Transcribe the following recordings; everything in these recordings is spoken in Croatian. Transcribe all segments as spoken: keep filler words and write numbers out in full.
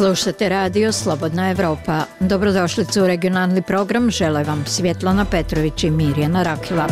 Slušate radio Slobodna Evropa. Dobrodošlicu u regionalni program, žele vam Svjetlana Petrović i Mirjana Rakila.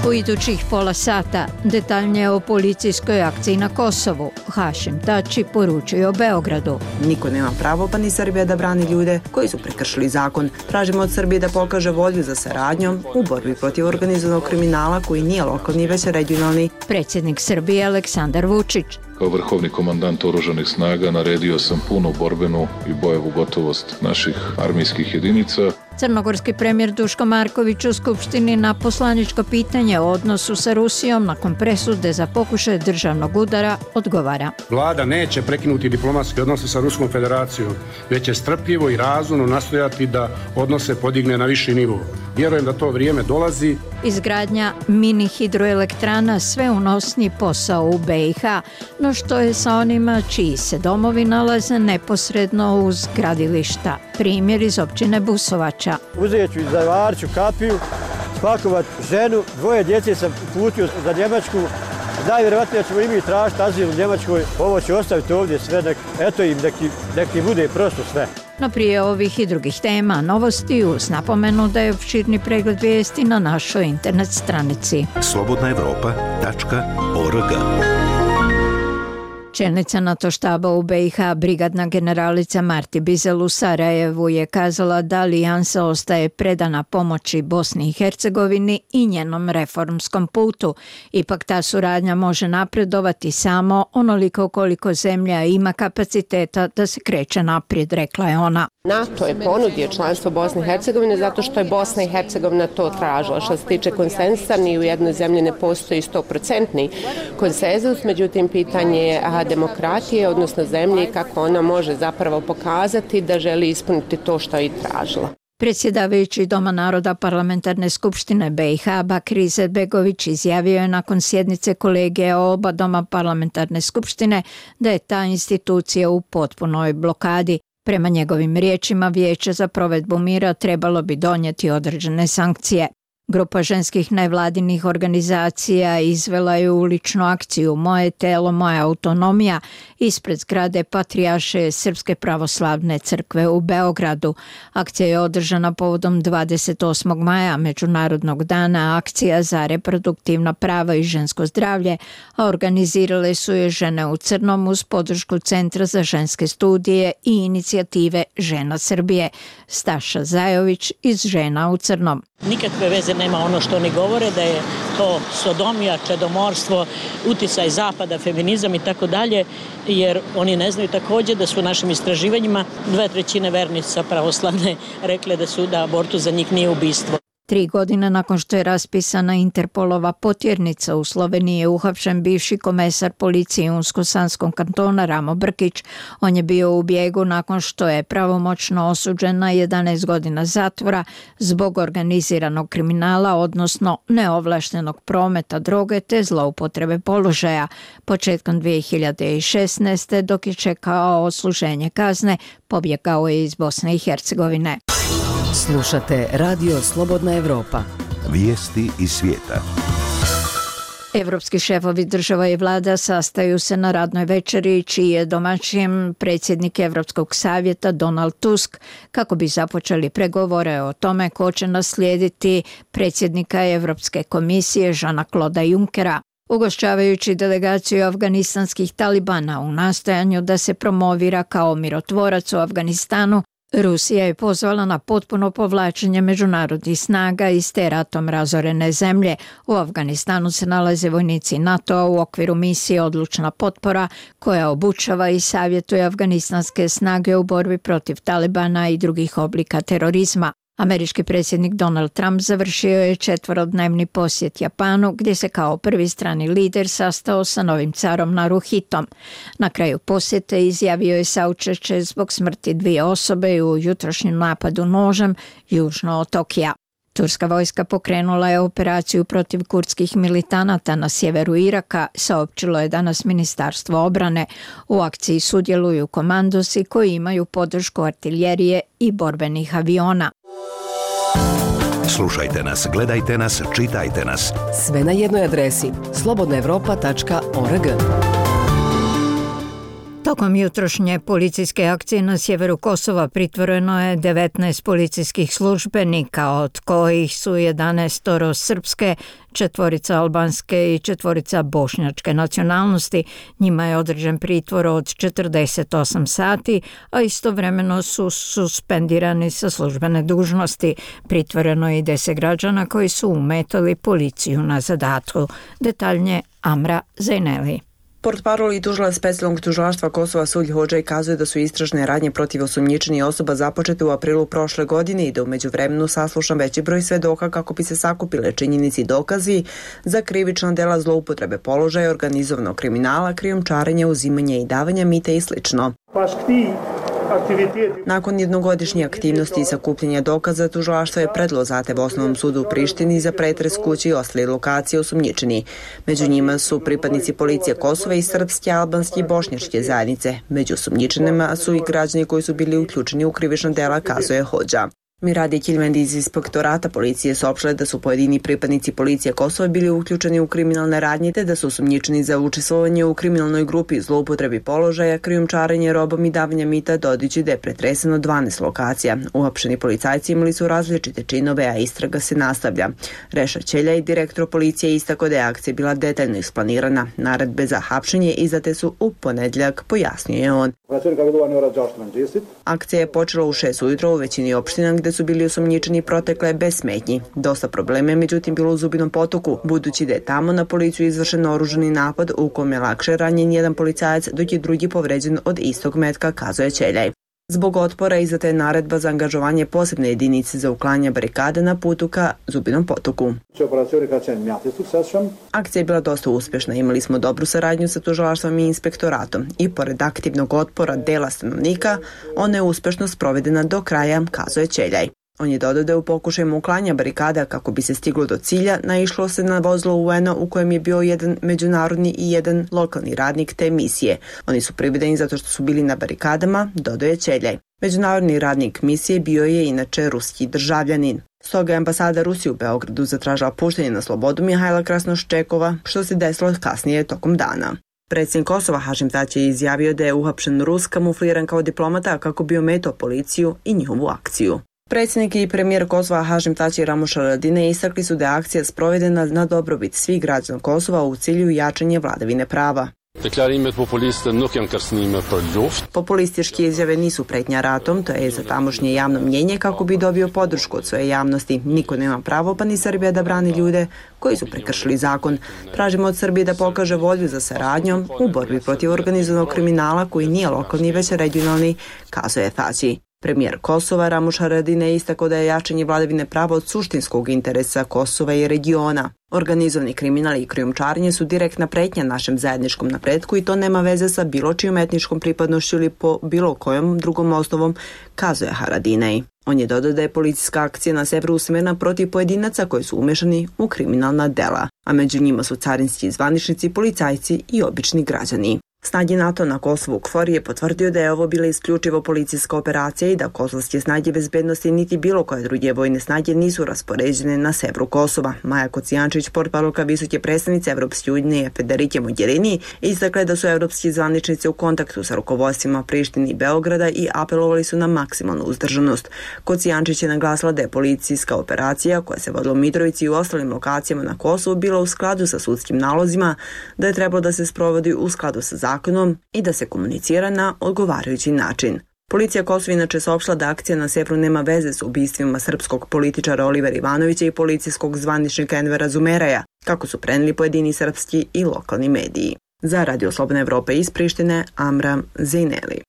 U idućih pola sata detaljnije o policijskoj akciji na Kosovu. Hašim Tači poručuje o Beogradu. Niko nema pravo, pa ni Srbija, da brani ljude koji su prekršili zakon. Tražimo od Srbije da pokaže volju za saradnjom u borbi protiv organizovanog kriminala koji nije lokalni, već regionalni. Predsjednik Srbije Aleksandar Vučić. Kao vrhovni komandant oružanih snaga naredio sam punu borbenu i bojevu gotovost naših armijskih jedinica. Crnogorski premijer Duško Marković u Skupštini na poslaničko pitanje o odnosu sa Rusijom nakon presude za pokušaj državnog udara odgovara. Vlada neće prekinuti diplomatske odnose sa Ruskom federacijom, već će strpljivo i razumno nastojati da odnose podigne na viši nivo. Vjerujem da to vrijeme dolazi. Izgradnja mini hidroelektrana sve unosni posao u B i H, no što je sa onima čiji se domovi nalaze neposredno uz gradilišta. Primjer iz općine Busovača. Uzet ću i zavarću kapiju, spakovat ženu, dvoje djece sam putio za Njemačku. Najvjerovatnije ćemo i mi tražiti azil u Njemačkoj. Ovo ću ostaviti ovdje sve, nek, eto im neki, neki bude prosto sve. No prije ovih i drugih tema, novosti uz napomenu da je opširni pregled vijesti na našoj internet stranici. slobodna evropa tačka org. Čelnica NATO štaba u B i H, brigadna generalica Marti Bizel u Sarajevu je kazala da alijansa ostaje predana pomoći Bosni i Hercegovini i njenom reformskom putu. Ipak ta suradnja može napredovati samo onoliko koliko zemlja ima kapaciteta da se kreće naprijed, rekla je ona. NATO je ponudio članstvo Bosne i Hercegovine zato što je Bosna i Hercegovina to tražila. Što se tiče konsenzusa, ni u jednoj zemlji ne postoji stoprocentni konsenzus, međutim pitanje je demokratije, odnosno zemlje i kako ona može zapravo pokazati da želi ispuniti to što je i tražila. Predsjedavajući Doma naroda Parlamentarne skupštine B i H Bakir Izetbegović izjavio je nakon sjednice kolegija oba Doma Parlamentarne skupštine da je ta institucija u potpunoj blokadi. Prema njegovim riječima, Vijeće za provedbu mira trebalo bi donijeti određene sankcije. Grupa ženskih nevladinih organizacija izvela je uličnu akciju Moje telo, moja autonomija ispred zgrade Patrijaršije Srpske pravoslavne crkve u Beogradu. Akcija je održana povodom dvadeset osmog maja, Međunarodnog dana akcija za reproduktivna prava i žensko zdravlje, a organizirale su je Žene u crnom uz podršku Centra za ženske studije i inicijative Žena Srbije. Staša Zajović iz Žena u crnom. Nikakve veze nema ono što oni govore, da je to sodomija, čedomorstvo, uticaj zapada, feminizam i tako dalje, jer oni ne znaju također da su u našim istraživanjima dve trećine vernica pravoslavne rekle da su da abortus za njih nije ubistvo. Tri godine nakon što je raspisana Interpolova potjernica u Sloveniji je uhapšen bivši komesar policije Unsko-Sanskog kantona Ramo Brkić. On je bio u bijegu nakon što je pravomoćno osuđen na jedanaest godina zatvora zbog organiziranog kriminala, odnosno neovlaštenog prometa droge te zloupotrebe položaja. Početkom dvije hiljade šesnaeste. dok je čekao odsluženje kazne, pobjegao je iz Bosne i Hercegovine. Slušate radio Slobodna Evropa. Vijesti iz svijeta. Evropski šefovi država i vlada sastaju se na radnoj večeri čiji je domaćin predsjednik Evropskog savjeta Donald Tusk kako bi započeli pregovore o tome ko će naslijediti predsjednika Evropske komisije Jeana-Clauda Junckera. Ugošćavajući delegaciju afganistanskih talibana u nastojanju da se promovira kao mirotvorac u Afganistanu, Rusija je pozvala na potpuno povlačenje međunarodnih snaga iz te ratom razorene zemlje. U Afganistanu se nalaze vojnici NATO-a u okviru misije Odlučna potpora koja obučava i savjetuje afganistanske snage u borbi protiv Talibana i drugih oblika terorizma. Američki predsjednik Donald Trump završio je četverodnevni posjet Japanu gdje se kao prvi strani lider sastao sa novim carom Naruhitom. Na kraju posjete izjavio je saučešće zbog smrti dvije osobe u jutrošnjem napadu nožem južno od Tokija. Turska vojska pokrenula je operaciju protiv kurdskih militanata na sjeveru Iraka, saopćilo je danas Ministarstvo obrane. U akciji sudjeluju komandosi koji imaju podršku artiljerije i borbenih aviona. Slušajte nas, gledajte nas, čitajte nas. Sve na jednoj adresi slobodna evropa tačka org. Tokom jutrošnje policijske akcije na sjeveru Kosova pritvoreno je devetnaest policijskih službenika, od kojih su jedanaest srpske, četvorica albanske i četvorica bošnjačke nacionalnosti. Njima je određen pritvor od četrdeset osam sati, a istovremeno su suspendirani sa službene dužnosti. Pritvoreno je i deset građana koji su umetali policiju na zadatku. Detaljnije Amra Zejneli. Portparol i tužilac specijalnog tužilaštva Kosova Sulj Hodžaj kazuje da su istražne radnje protiv osumnjičenih osoba započete u aprilu prošle godine i da u međuvremenu saslušan veći broj svedoka kako bi se sakupile činjenici i dokazi za krivična dela zloupotrebe položaja, organizovanog kriminala, krijumčarenja, uzimanja i davanja mita i slično. Nakon jednogodišnje aktivnosti i sakupljanja dokaza, tužilaštvo je predalo zahtev Osnovnom sudu u Prištini za pretres kući i ostale lokacije osumnjičeni. Među njima su pripadnici policije Kosova i srpske, albanske i bošnjačke zajednice. Među osumnjičenima su i građani koji su bili uključeni u krivična dela, kazuje Hodža. Miradi Kilmendi iz inspektorata policije saopštile da su pojedini pripadnici policije Kosova bili uključeni u kriminalne radnje te da su osumnjičeni za učestvovanje u kriminalnoj grupi, zloupotrebi položaja, krijumčarenje robom i davanja mita, dodajući da je pretreseno dvanaest lokacija. Uhapšeni policajci imali su različite činove, a istraga se nastavlja. Reša Ćeljaj, direktor policije, istakao da je akcija bila detaljno isplanirana. Naredbe za hapšenje izdate su u ponedjeljak, pojasnio je on. Akcija je počela u šest ujutro u većini opština gde su bili osumnjičeni protekle bez smetnji. Dosta problema je međutim bilo u Zubinom Potoku, budući da je tamo na policiju izvršen oružani napad u kome je lakše ranjen jedan policajac, dok je drugi povređen od istog metka, kazuje Ćeljaj. Zbog otpora izdata je naredba za angažovanje posebne jedinice za uklanjanje barikade na putu ka Zubinom Potoku. Akcija je bila dosta uspješna, imali smo dobru saradnju sa tužilaštvom i inspektoratom i pored aktivnog otpora dela stanovnika, ona je uspješno sprovedena do kraja, kazuje Ćeljaj. On je dodao da je u pokušajima uklanja barikada kako bi se stiglo do cilja naišlo se na vozilo U N-a u kojem je bio jedan međunarodni i jedan lokalni radnik te misije. Oni su privedeni zato što su bili na barikadama, dodao je Ćeljaj. Međunarodni radnik misije bio je inače ruski državljanin. Stoga je ambasada Rusije u Beogradu zatražila puštanje na slobodu Mihajla Krasnoščekova, što se desilo kasnije tokom dana. Predsjednik Kosova Hašim Tači je izjavio da je uhapšen Rus kamufliran kao diplomata kako bi ometao policiju i njihovu akciju. Predsjednik i premijer Kosova Hašim Tači i Ramuš Haradinaj istakli su da je akcija sprovedena na dobrobit svih građana Kosova u cilju jačanja vladavine prava. Populističke izjave nisu pretnja ratom, to je za tamošnje javno mnjenje kako bi dobio podršku od svoje javnosti. Niko nema pravo, pa ni Srbija, da brani ljude koji su prekršili zakon. Tražimo od Srbije da pokaže volju za saradnjom u borbi protiv organizovanog kriminala koji nije lokalni već regionalni, kazuje Tači. Premijer Kosova Ramuš Haradinaj istakao da je jačanje vladavine prava od suštinskog interesa Kosova i regiona. Organizovani kriminal i krijumčarenje su direktna pretnja našem zajedničkom napretku i to nema veze sa bilo čijom etničkom pripadnošću ili po bilo kojom drugom osnovom, kazuje Haradinaj. On je dodao da je policijska akcija na severu usmjerena protiv pojedinaca koji su umešani u kriminalna dela, a među njima su carinski zvaničnici, policajci i obični građani. Snage NATO na Kosovu KFOR je potvrdio da je ovo bila isključivo policijska operacija i da kosovske snage bezbednosti niti bilo koje druge vojne snage nisu raspoređene na severu Kosova. Maja Kocijančić, portparolka visoke predstavnice Evropske unije Federike Mogherini, istakla da su evropski zvaničnici u kontaktu sa rukovodstvima Prištine i Beograda i apelovali su na maksimalnu uzdržanost. Kocijančić je naglasila da je policijska operacija koja se vodila u Mitrovici i u ostalim lokacijama na Kosovu bila u skladu sa sudskim nalozima, da je trebalo da se sprovodi u skladu sa zakonom i da se komunicira na odgovarajući način. Policija Kosova inače saopštila da akcija na severu nema veze s ubistvima srpskog političara Olivera Ivanovića i policijskog zvaničnika Envera Zumeraja, kako su preneli pojedini srpski i lokalni mediji. Za Radio Slobodna Evropa iz Prištine, Amra Zejneli.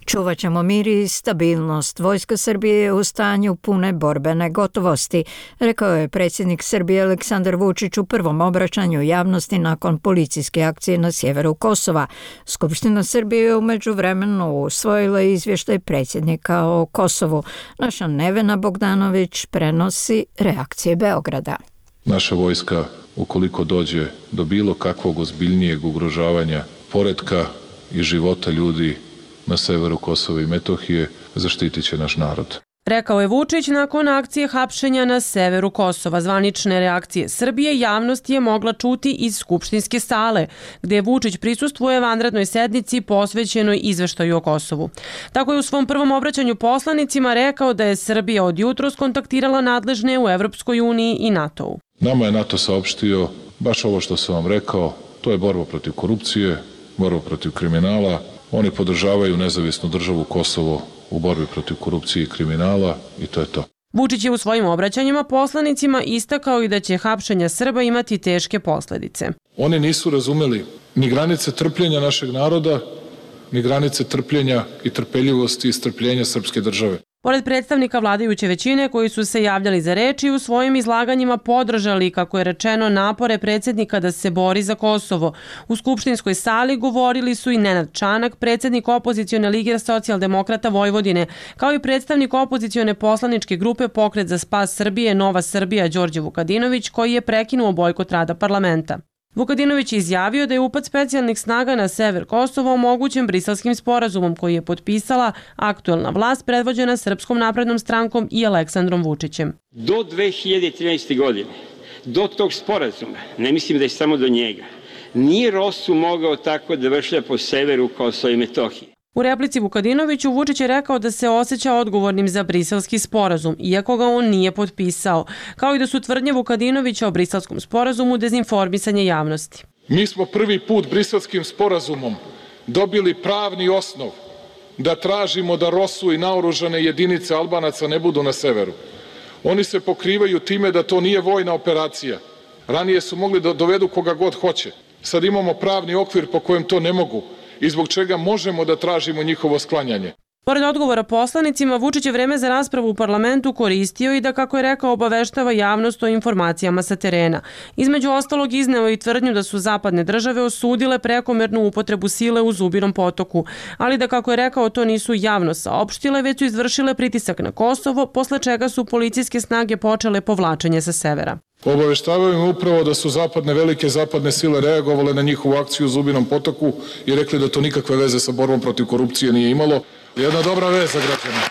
Čuvat ćemo mir i stabilnost. Vojska Srbije je u stanju pune borbene gotovosti, rekao je predsjednik Srbije Aleksandar Vučić u prvom obraćanju javnosti nakon policijske akcije na sjeveru Kosova. Skupština Srbije je u međuvremenu usvojila izvještaj predsjednika o Kosovu. Naša Nevena Bogdanović prenosi reakcije Beograda. Naša vojska, ukoliko dođe do bilo kakvog ozbiljnijeg ugrožavanja poretka i života ljudi na severu Kosova i Metohije, zaštitit će naš narod. Rekao je Vučić nakon akcije hapšenja na severu Kosova. Zvanične reakcije Srbije javnost je mogla čuti iz skupštinske sale, gde Vučić prisustvuje vanrednoj sednici posvećenoj izveštaju o Kosovu. Tako je u svom prvom obraćanju poslanicima rekao da je Srbija od jutros kontaktirala nadležne u Evropskoj uniji i NATO-u. Nama je NATO saopštio baš ovo što sam vam rekao, to je borba protiv korupcije, borba protiv kriminala. Oni podržavaju nezavisnu državu Kosovo u borbi protiv korupcije i kriminala i to je to. Vučić je u svojim obraćanjima poslanicima istakao i da će hapšenja Srba imati teške posledice. Oni nisu razumeli ni granice trpljenja našeg naroda, ni granice trpljenja i trpeljivosti i strpljenja srpske države. Pored predstavnika vladajuće većine koji su se javljali za reč i u svojim izlaganjima podržali, kako je rečeno, napore predsjednika da se bori za Kosovo, u skupštinskoj sali govorili su i Nenad Čanak, predsjednik opozicione lige socijaldemokrata Vojvodine, kao i predstavnik opozicione poslaničke grupe Pokret za spas Srbije Nova Srbija Đorđe Vukadinović, koji je prekinuo bojkot rada parlamenta. Vukadinović je izjavio da je upad specijalnih snaga na sever Kosova omogućen Briselskim sporazumom koji je potpisala aktuelna vlast predvođena Srpskom naprednom strankom i Aleksandrom Vučićem. Do dve hiljade trinaeste. godine, do tog sporazuma, ne mislim da je samo do njega, nije Rosu mogao tako da vršlja po severu Kosova i Metohije. U replici Vukadinoviću Vučić je rekao da se osjeća odgovornim za Briselski sporazum, iako ga on nije potpisao, kao i da su tvrdnje Vukadinovića o Briselskom sporazumu dezinformisanje javnosti. Mi smo prvi put Briselskim sporazumom dobili pravni osnov da tražimo da Rosu i naoružane jedinice Albanaca ne budu na severu. Oni se pokrivaju time da to nije vojna operacija. Ranije su mogli da dovedu koga god hoće. Sad imamo pravni okvir po kojem to ne mogu i zbog čega možemo da tražimo njihovo sklanjanje. Pored odgovora poslanicima, Vučić je vreme za raspravu u parlamentu koristio i da, kako je rekao, obaveštava javnost o informacijama sa terena. Između ostalog izneo i tvrdnju da su zapadne države osudile prekomernu upotrebu sile u Zubinom potoku, ali da, kako je rekao, to nisu javno saopštile, već su izvršile pritisak na Kosovo, posle čega su policijske snage počele povlačenje sa severa. Obaveštavaju im upravo da su zapadne, velike zapadne sile reagovale na njihovu akciju u Zubinom potoku i rekli da to nikakve veze sa borbom protiv korupcije nije imalo. Jedna dobra vez za građane.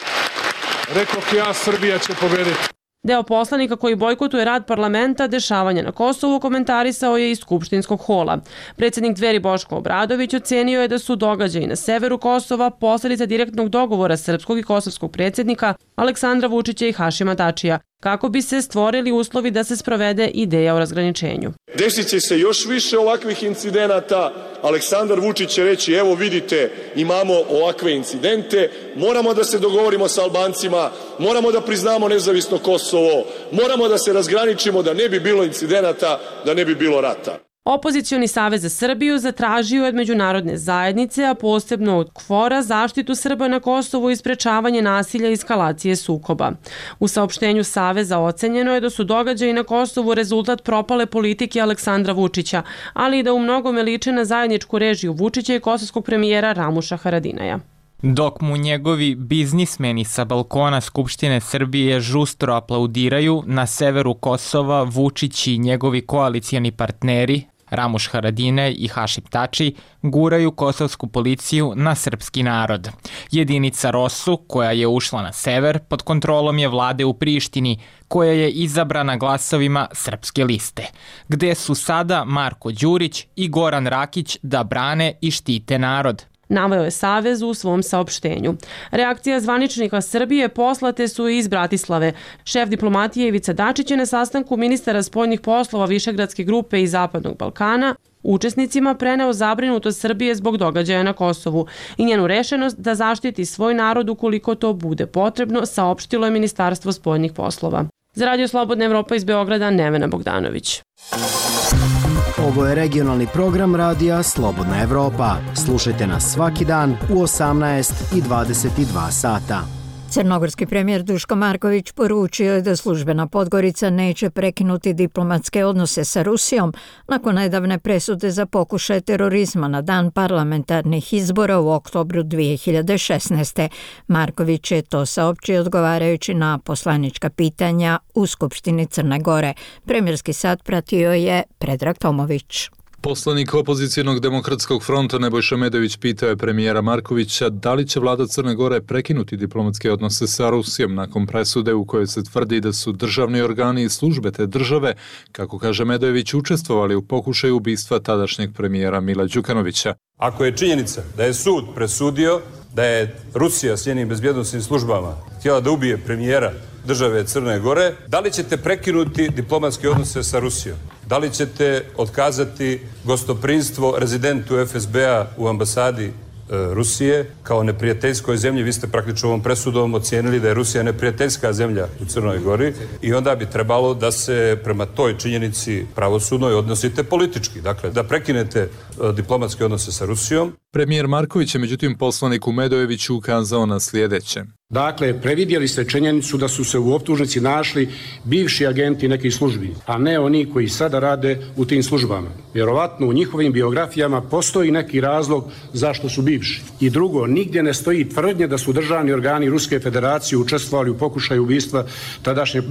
Rekoh ja, Srbija će pobediti. Deo poslanika koji bojkotuje rad parlamenta dešavanja na Kosovu komentarisao je iz skupštinskog hola. Predsjednik Dveri Boško Obradović ocenio je da su događaji na severu Kosova posledica direktnog dogovora srpskog i kosovskog predsjednika Aleksandra Vučića i Hašima Tačija, kako bi se stvorili uslovi da se sprovede ideja o razgraničenju. Desit će se još više ovakvih incidenata. Aleksandar Vučić će reći, evo vidite, imamo ovakve incidente, moramo da se dogovorimo sa Albancima, moramo da priznamo nezavisno Kosovo, moramo da se razgraničimo da ne bi bilo incidenata, da ne bi bilo rata. Opozicioni savez za Srbiju zatražio je od međunarodne zajednice, a posebno od KFOR-a, zaštitu Srba na Kosovu i sprečavanje nasilja i eskalacije sukoba. U saopštenju saveza ocenjeno je da su događaji na Kosovu rezultat propale politike Aleksandra Vučića, ali i da u mnogome liče na zajedničku režiju Vučića i kosovskog premijera Ramuša Haradinaja. Dok mu njegovi biznismeni sa balkona Skupštine Srbije žustro aplaudiraju, na severu Kosova Vučić i njegovi koalicijani partneri Ramuš Haradinaj i Hašim Tači guraju kosovsku policiju na srpski narod. Jedinica Rosu, koja je ušla na sever, pod kontrolom je vlade u Prištini, koja je izabrana glasovima Srpske liste, gde su sada Marko Đurić i Goran Rakić da brane i štite narod. Naveo je Savez u svom saopštenju. Reakcija zvaničnika Srbije poslate su iz Bratislave. Šef diplomatije Ivica Dačić je na sastanku ministara spoljnih poslova Višegradske grupe i Zapadnog Balkana učesnicima preneo zabrinutost Srbije zbog događaja na Kosovu i njenu rešenost da zaštiti svoj narod ukoliko to bude potrebno, saopštilo je Ministarstvo spoljnih poslova. Za Radio Slobodna Evropa iz Beograda, Nevena Bogdanović. Ovo je regionalni program radija Slobodna Evropa. Slušajte nas svaki dan u osamnaest i dvadeset dva sata. Crnogorski premijer Duško Marković poručio je da službena Podgorica neće prekinuti diplomatske odnose sa Rusijom nakon nedavne presude za pokušaj terorizma na dan parlamentarnih izbora u oktobru dvije hiljade šesnaeste. Marković je to saopćio odgovarajući na poslanička pitanja u Skupštini Crne Gore. Premijerski sat pratio je Predrag Tomović. Poslanik opozicijonog demokratskog fronta Nebojša Medović pitao je premijera Markovića da li će vlada Crne Gore prekinuti diplomatske odnose sa Rusijom nakon presude u kojoj se tvrdi da su državni organi i službe te države, kako kaže Medojević, učestvovali u pokušaju ubistva tadašnjeg premijera Mila Đukanovića. Ako je činjenica da je sud presudio da je Rusija s njenim bezbjednosnim službama htjela da ubije premijera države Crne Gore, da li ćete prekinuti diplomatske odnose sa Rusijom? Da li ćete otkazati gostoprinstvo rezidentu F S B-a u ambasadi e, Rusije kao neprijateljskoj zemlji? Vi ste praktično ovom presudom ocijenili da je Rusija neprijateljska zemlja u Crnoj Gori i onda bi trebalo da se prema toj činjenici pravosudnoj odnosite politički. Dakle, da prekinete e, diplomatske odnose sa Rusijom. Premijer Marković je međutim poslaniku Medojeviću ukazao na sljedeće. Dakle, previdjeli ste činjenicu da su se u optužnici našli bivši agenti nekih službi, a ne oni koji sada rade u tim službama. Vjerovatno u njihovim biografijama postoji neki razlog zašto su bivši. I drugo, nigdje ne stoji tvrdnje da su državni organi Ruske federacije učestvovali u pokušaju ubistva tadašnjeg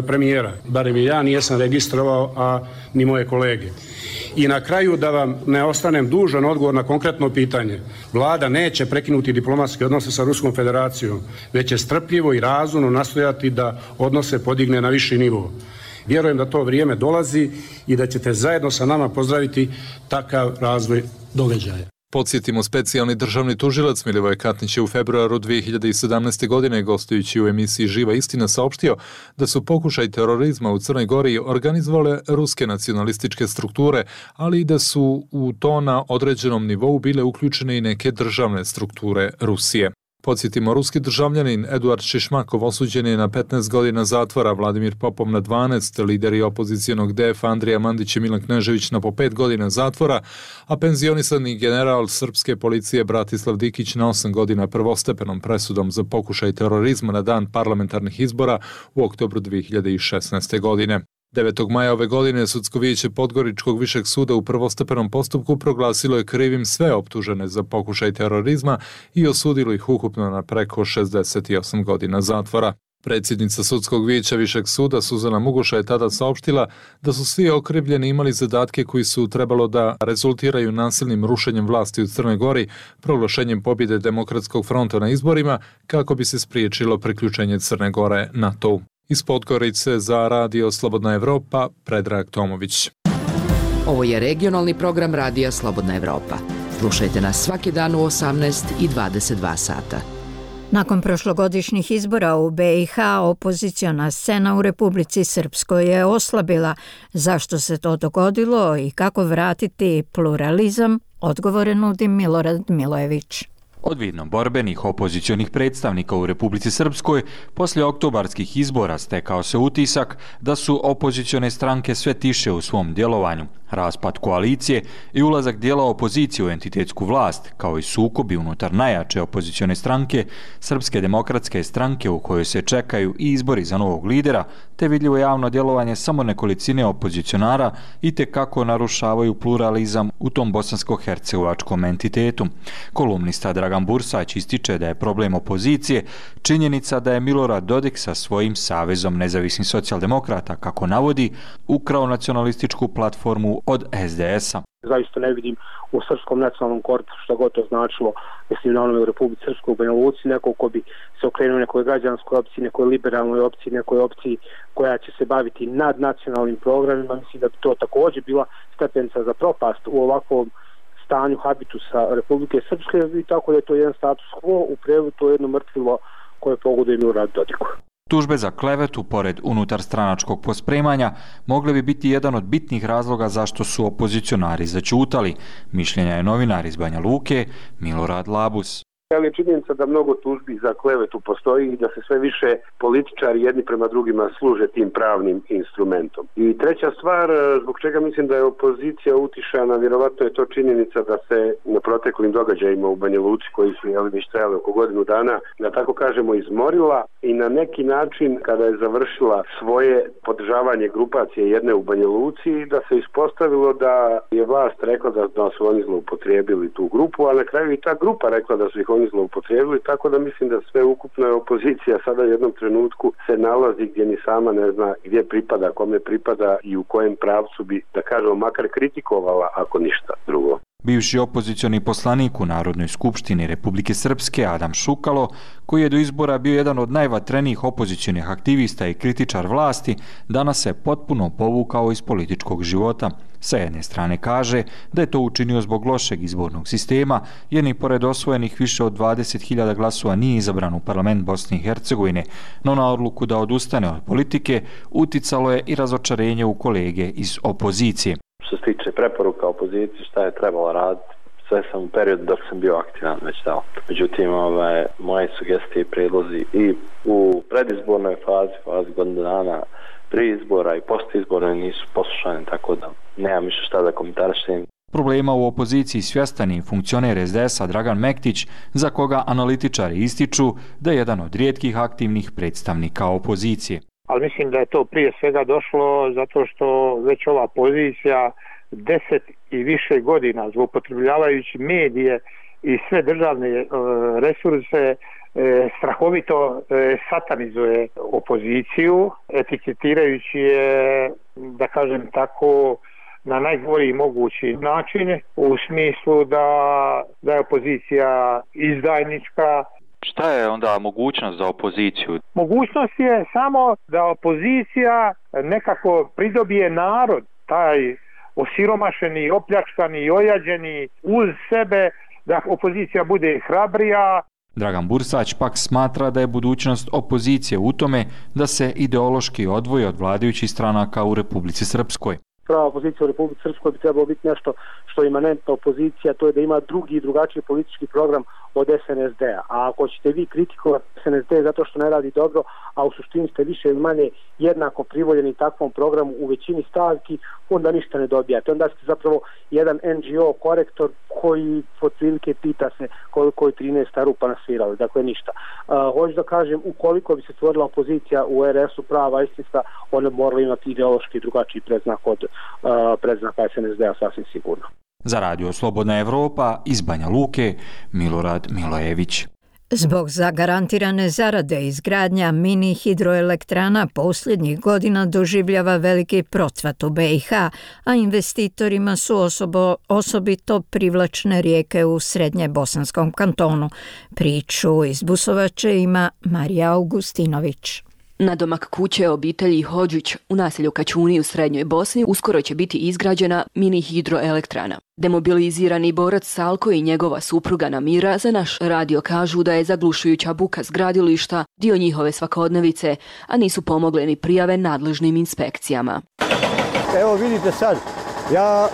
premijera. Barem je ja nijesam registrovao, a ni moje kolege. I na kraju, da vam ne ostanem dužan odgovor na konkretno pitanje. Vlada neće prekinuti diplomatske odnose sa Ruskom federacijom, već će strpljivo i razumno nastojati da odnose podigne na viši nivo. Vjerujem da to vrijeme dolazi i da ćete zajedno sa nama pozdraviti takav razvoj događaja. Podsjetimo, specijalni državni tužilac Milivoj Katnić je u februaru dvije hiljade sedamnaeste. godine gostujući u emisiji Živa istina saopštio da su pokušaj terorizma u Crnoj Gori organizovale ruske nacionalističke strukture, ali i da su u to na određenom nivou bile uključene i neke državne strukture Rusije. Podsjetimo, ruski državljanin Eduard Šišmakov osuđen je na petnaest godina zatvora, Vladimir Popov na dvanaest, lideri opozicijonog D F Andrija Mandić i Milan Knežević na po pet godina zatvora, a penzionisani general srpske policije Bratislav Dikić na osam godina prvostepenom presudom za pokušaj terorizma na dan parlamentarnih izbora u oktobru dvije hiljade šesnaeste. godine. devetog maja ove godine Sudsko vijeće Podgoričkog višeg suda u prvostepenom postupku proglasilo je krivim sve optužene za pokušaj terorizma i osudilo ih ukupno na preko šezdeset osam godina zatvora. Predsjednica Sudskog vijeća Višeg suda Suzana Mugoša je tada saopštila da su svi okrivljeni imali zadatke koji su trebalo da rezultiraju nasilnim rušenjem vlasti u Crnoj Gori, proglašenjem pobjede Demokratskog fronta na izborima, kako bi se spriječilo priključenje Crne Gore NATO-u. Iz Podgorice za Radio Slobodna Evropa, Predrag Tomović. Ovo je regionalni program Radija Slobodna Evropa. Slušajte nas svaki dan u osamnaest i dvadeset dva sata. Nakon prošlogodišnjih izbora u B i H, opoziciona scena u Republici Srpskoj je oslabila. Zašto se to dogodilo i kako vratiti pluralizam? Odgovore nudi Milorad Milojević. Od vidno borbenih opozicionih predstavnika u Republici Srpskoj poslije oktobarskih izbora stekao se utisak da su opozicione stranke sve tiše u svom djelovanju. Raspad koalicije i ulazak dijela opozicije u entitetsku vlast, kao i sukobi unutar najjače opozicione stranke, Srpske demokratske stranke u kojoj se čekaju i izbori za novog lidera, te vidljivo javno djelovanje samo nekolicine opozicionara i te kako narušavaju pluralizam u tom bosansko-hercegovačkom entitetu. Kolumnista Dragan Bursać ističe da je problem opozicije činjenica da je Milorad Dodik sa svojim Savezom nezavisnih socijaldemokrata, kako navodi, ukrao nacionalističku platformu od S D S-a. Zaista ne vidim u srpskom nacionalnom korpusu, što god to značilo, mislim na onome u Republici Srpskoj, u Banja Luci, neko ko bi se okrenuo nekoj građanskoj opciji, nekoj liberalnoj opciji, nekoj opciji koja će se baviti nadnacionalnim programima. Mislim da bi to također bila stepenica za propast u ovakvom stanju habitusa Republike Srpske i tako da je to jedan status quo, u prevodu to je jedno mrtvilo koje pogoduje Miloradu Dodiku. Tužbe za klevetu, pored unutar stranačkog pospremanja, mogle bi biti jedan od bitnih razloga zašto su opozicionari zaćutali. Mišljenja je novinar iz Banja Luke, Milorad Labus. Ali je činjenica da mnogo tužbi za klevetu postoji i da se sve više političari jedni prema drugima služe tim pravnim instrumentom. I treća stvar, zbog čega mislim da je opozicija utišana, vjerovatno je to činjenica da se na proteklim događajima u Banja Luci, koji su jeli, već trajali oko godinu dana, da tako kažemo izmorila i na neki način kada je završila svoje podržavanje grupacije jedne u Banja Luci, da se ispostavilo da je vlast rekla da, da su oni zloupotrijebili tu grupu, a na kraju i ta grupa rekla da su ih oni zloupotrijebili, tako da mislim da sve ukupna opozicija sada u jednom trenutku se nalazi gdje ni sama ne zna gdje pripada, kome pripada i u kojem pravcu bi, da kažemo, makar kritikovala, ako ništa drugo. Bivši opozicioni poslanik u Narodnoj skupštini Republike Srpske Adam Šukalo, koji je do izbora bio jedan od najvatrenijih opozicionih aktivista i kritičar vlasti, danas se potpuno povukao iz političkog života. Sa jedne strane kaže da je to učinio zbog lošeg izbornog sistema, jer ni pored osvojenih više od dvadeset hiljada glasova nije izabran u parlament Bosne i Hercegovine, no na odluku da odustane od politike uticalo je i razočarenje u kolege iz opozicije. Što se tiče preporuka opoziciji, šta je trebalo raditi, sve sam u periodu dok sam bio aktivan već dao. Međutim, ove, moje sugestije i prijedlozi i u predizbornoj fazi, fazi godinu dana, prije izbora i post izbora nisu poslušani, tako da nemam više šta da komentarišem. Problema u opoziciji svjestan je funkcioner es de es-a Dragan Mektić, za koga analitičari ističu da je jedan od rijetkih aktivnih predstavnika opozicije. Ali mislim da je to prije svega došlo zato što već ova pozicija deset i više godina zloupotrebljavajući medije i sve državne e, resurse e, strahovito e, satanizuje opoziciju, etiketirajući je, da kažem tako, na najgori mogući način, u smislu da, da je opozicija izdajnička. Šta je onda mogućnost za opoziciju? Mogućnost je samo da opozicija nekako pridobije narod, taj osiromašeni, opljačkani, ojađeni uz sebe, da opozicija bude hrabrija. Dragan Bursać pak smatra da je budućnost opozicije u tome da se ideološki odvoji od vladajućih stranaka u Republici Srpskoj. Prava opozicija u Republici Srpskoj bi trebalo biti nešto što je imanentna opozicija, to je da ima drugi i drugačiji politički program od es en es de-a. A ako ćete vi kritikovati es en es de zato što ne radi dobro, a u suštini ste više ili manje jednako privoljeni takvom programu u većini stavki, onda ništa ne dobijate. Onda ste zapravo jedan en ge o korektor koji otprilike pita se koliko je trinaesta rupa nasvirali, dakle ništa. Uh, hoću da kažem, ukoliko bi se stvorila opozicija u er es u prava istinska, ona morala imati ideološki drugačiji predznak od uh, predznaka es en es de-a sasvim sigurno. Za Radio Slobodna Evropa iz Banja Luke, Milorad Milojević. Zbog zagarantirane zarade izgradnja mini hidroelektrana posljednjih godina doživljava veliki procvat u be i ha, a investitorima su osobo, osobito privlačne rijeke u srednje bosanskom kantonu. Priču iz Busovače ima Marija Augustinović. Nadomak kuće obitelji Hodžić u naselju Kačuni u Srednjoj Bosni uskoro će biti izgrađena mini hidroelektrana. Demobilizirani borac Salko i njegova supruga Namira za naš radio kažu da je zaglušujuća buka s gradilišta dio njihove svakodnevice, a nisu pomogle ni prijave nadležnim inspekcijama. Evo vidite sad, ja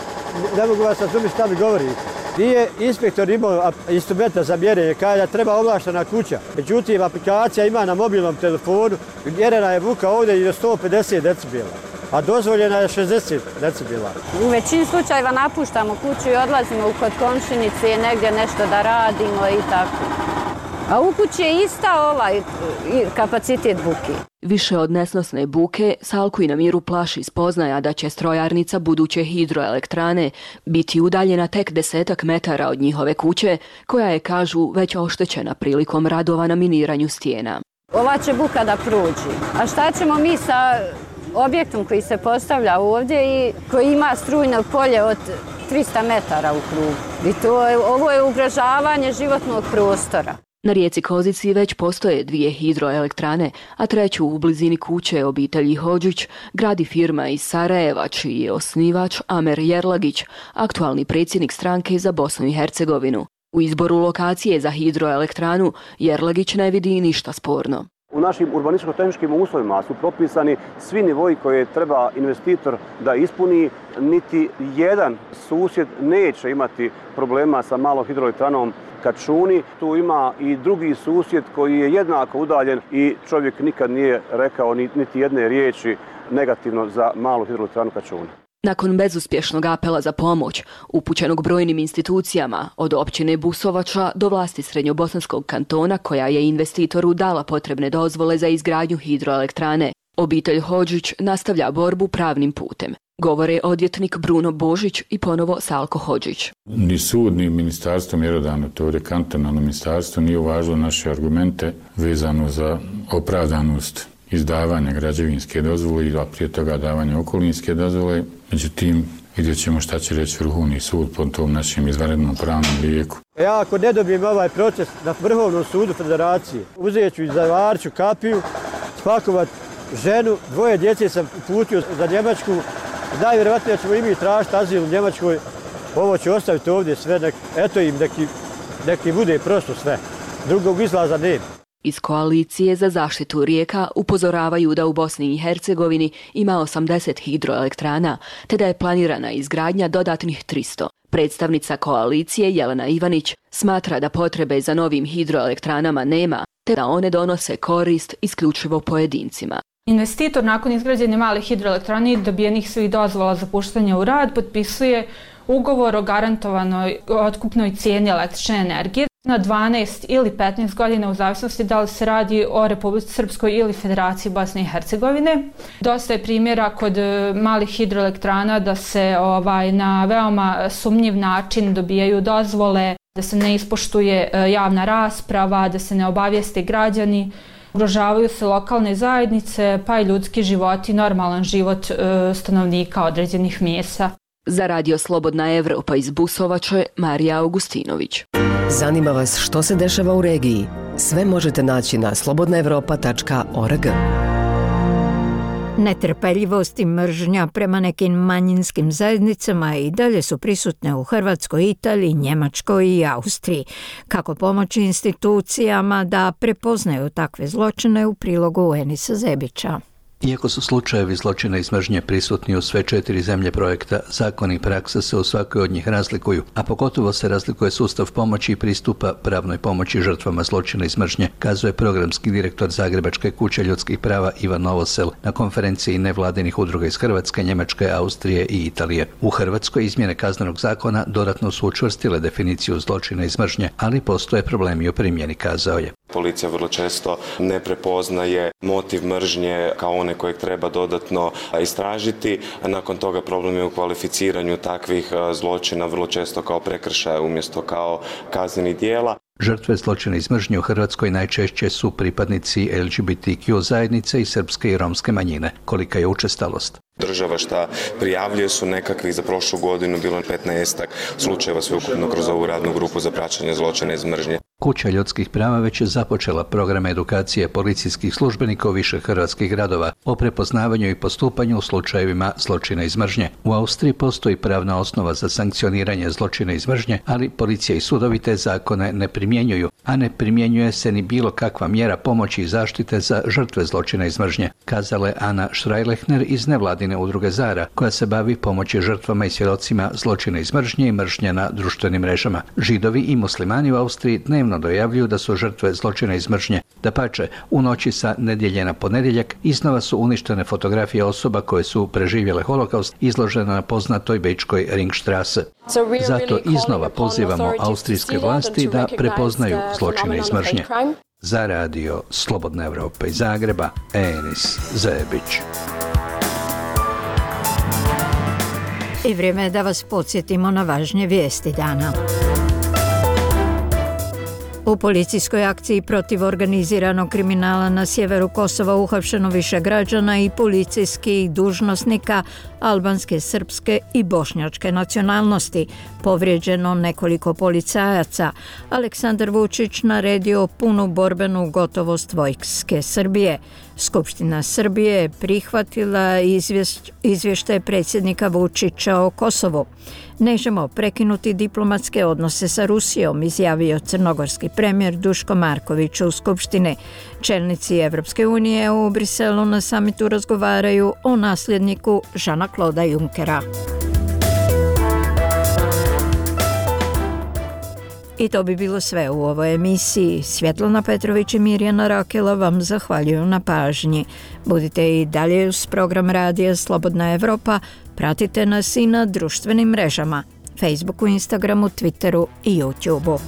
ne mogu vas razumjeti šta mi govorite. Nije inspektor imao instrumenta za mjerenje, kada da treba ovlaštena kuća. Međutim, aplikacija ima na mobilnom telefonu, mjerena je buka ovdje i do sto pedeset decibela, a dozvoljena je šezdeset decibela. U većini slučajeva napuštamo kuću i odlazimo u kod komšinice negdje nešto da radimo i tako. A u kući je ista ovaj kapacitet buke. Više od nesnosne buke, Salku i Namiru plaši spoznaja da će strojarnica buduće hidroelektrane biti udaljena tek desetak metara od njihove kuće, koja je, kažu, već oštećena prilikom radova na miniranju stijena. Ova će buka da prođi. A šta ćemo mi sa objektom koji se postavlja ovdje i koji ima strujno polje od trista metara u krugu? I to je, ovo je ugrožavanje životnog prostora. Na rijeci Kozici već postoje dvije hidroelektrane, a treću u blizini kuće obitelji Hodžić gradi firma iz Sarajeva, čiji je osnivač Amer Jerlagić, aktualni predsjednik stranke za Bosnu i Hercegovinu. U izboru lokacije za hidroelektranu Jerlagić ne vidi ništa sporno. U našim urbanističko-tehničkim uslovima su propisani svi nivoji koje treba investitor da ispuni. Niti jedan susjed neće imati problema sa malom hidroelektranom Kačuni. Tu ima i drugi susjed koji je jednako udaljen i čovjek nikad nije rekao niti jedne riječi negativno za malu hidroelektranu Kačuni. Nakon bezuspješnog apela za pomoć, upućenog brojnim institucijama, od općine Busovača do vlasti Srednjobosanskog kantona, koja je investitoru dala potrebne dozvole za izgradnju hidroelektrane, obitelj Hodžić nastavlja borbu pravnim putem. Govore odvjetnik Bruno Božić i ponovo Salko Hodžić. Ni sud, ni ministarstvo mjerodavno, to je kantonalno ministarstvo, nije uvažilo naše argumente vezano za opravdanost izdavanja građevinske dozvole, a prije toga davanja okolinske dozvole. Međutim, vidjet ćemo šta će reći Vrhovni sud po tom našem izvanrednom pravnom lijeku. Ja ako ne dobijem ovaj proces na Vrhovnom sudu Federacije, uzet ću i zavarću kapiju, spakovat ženu, dvoje djece sam putio za Njemačku, najvjerovatnije ćemo i mi tražiti azil u Njemačkoj, ovo ću ostaviti ovdje sve, nek, eto im neki, neki bude prosto sve, drugog izlaza nema. Iz koalicije za zaštitu rijeka upozoravaju da u Bosni i Hercegovini ima osamdeset hidroelektrana, te da je planirana izgradnja dodatnih tristo. Predstavnica koalicije Jelena Ivanić smatra da potrebe za novim hidroelektranama nema, te da one donose korist isključivo pojedincima. Investitor nakon izgrađene male hidroelektrane i dobijenih svih dozvola za puštanje u rad potpisuje ugovor o garantovanoj otkupnoj cijeni električne energije na dvanaest ili petnaest godina u zavisnosti da li se radi o Republici Srpskoj ili Federaciji Bosne i Hercegovine. Dosta je primjera kod malih hidroelektrana da se ovaj, na veoma sumnjiv način dobijaju dozvole, da se ne ispoštuje javna rasprava, da se ne obavijeste građani. Ugrožavaju se lokalne zajednice, pa i ljudski životi, normalan život stanovnika određenih mjesta. Za Radio Slobodna Evropa iz Busovače, Marija Augustinović. Zanima vas što se dešava u regiji? Sve možete naći na slobodna evropa tačka org. Netrpeljivost i mržnja prema nekim manjinskim zajednicama i dalje su prisutne u Hrvatskoj, Italiji, Njemačkoj i Austriji. Kako pomoći institucijama da prepoznaju takve zločine u prilogu Enisa Zebića. Iako su slučajevi zločina i mržnje prisutni u sve četiri zemlje projekta, zakoni i praksa se u svakoj od njih razlikuju, a pogotovo se razlikuje sustav pomoći i pristupa pravnoj pomoći žrtvama zločina i mržnje, kazuje programski direktor Zagrebačke kuće ljudskih prava Ivan Novosel na konferenciji nevladinih udruga iz Hrvatske, Njemačke, Austrije i Italije. U Hrvatskoj izmjene kaznenog zakona dodatno su učvrstile definiciju zločina i mržnje, ali postoje problemi u primjeni, kazao je. Policija vrlo često ne prepoznaje motiv mržnje kao one kojeg treba dodatno istražiti. Nakon toga problem je u kvalificiranju takvih zločina vrlo često kao prekršaja umjesto kao kaznenih djela. Žrtve zločina iz mržnje u Hrvatskoj najčešće su pripadnici L G B T Q zajednice i srpske i romske manjine. Kolika je učestalost? Država šta prijavljuje su nekakvih za prošlu godinu bilo petnaestak slučajeva sveukupno kroz ovu radnu grupu za praćenje zločina iz mržnje. Kuća ljudskih prava već je započela program edukacije policijskih službenika u više hrvatskih gradova o prepoznavanju i postupanju u slučajevima zločina iz mržnje. U Austriji postoji pravna osnova za sankcioniranje zločina iz mržnje, ali policija i sudovi te zakone ne primjenjuju, a ne primjenjuje se ni bilo kakva mjera pomoći i zaštite za žrtve zločina iz mržnje, kazala je Ana Štrajlehner iz nevladine udruge Zara, koja se bavi pomoći žrtvama i svjedocima zločina iz mržnje i mržnje na društvenim mrežama. Židovi i muslimani u Austriji dnevno dojavljuju da su žrtve zločina iz mržnje. Dapače, u noći sa nedjelje na ponedjeljak iznova su uništene fotografije osoba koje su preživjele holokaust izložene na poznatoj bečkoj Ringstrasse. Zato iznova pozivamo austrijske vlasti da prepoznaju zločine iz mržnje. Za Radio Slobodna Evropa iz Zagreba, Enis Zebić. I vrijeme je da vas podsjetimo na važnije vijesti dana. U policijskoj akciji protiv organiziranog kriminala na sjeveru Kosova uhapšeno više građana i policijskih dužnosnika albanske, srpske i bošnjačke nacionalnosti. Povrijeđeno nekoliko policajaca. Aleksandar Vučić naredio punu borbenu gotovost vojske Srbije. Skupština Srbije je prihvatila izvještaj predsjednika Vučića o Kosovu. Nećemo prekinuti diplomatske odnose sa Rusijom, izjavio crnogorski premijer Duško Marković u Skupštini. Čelnici Evropske unije u Briselu na samitu razgovaraju o nasljedniku Žana Kloda Junckera. I to bi bilo sve u ovoj emisiji. Svjetlana Petrović i Mirjana Rakela vam zahvaljuju na pažnji. Budite i dalje uz program Radija Slobodna Evropa. Pratite nas i na društvenim mrežama, Facebooku, Instagramu, Twitteru i YouTubeu.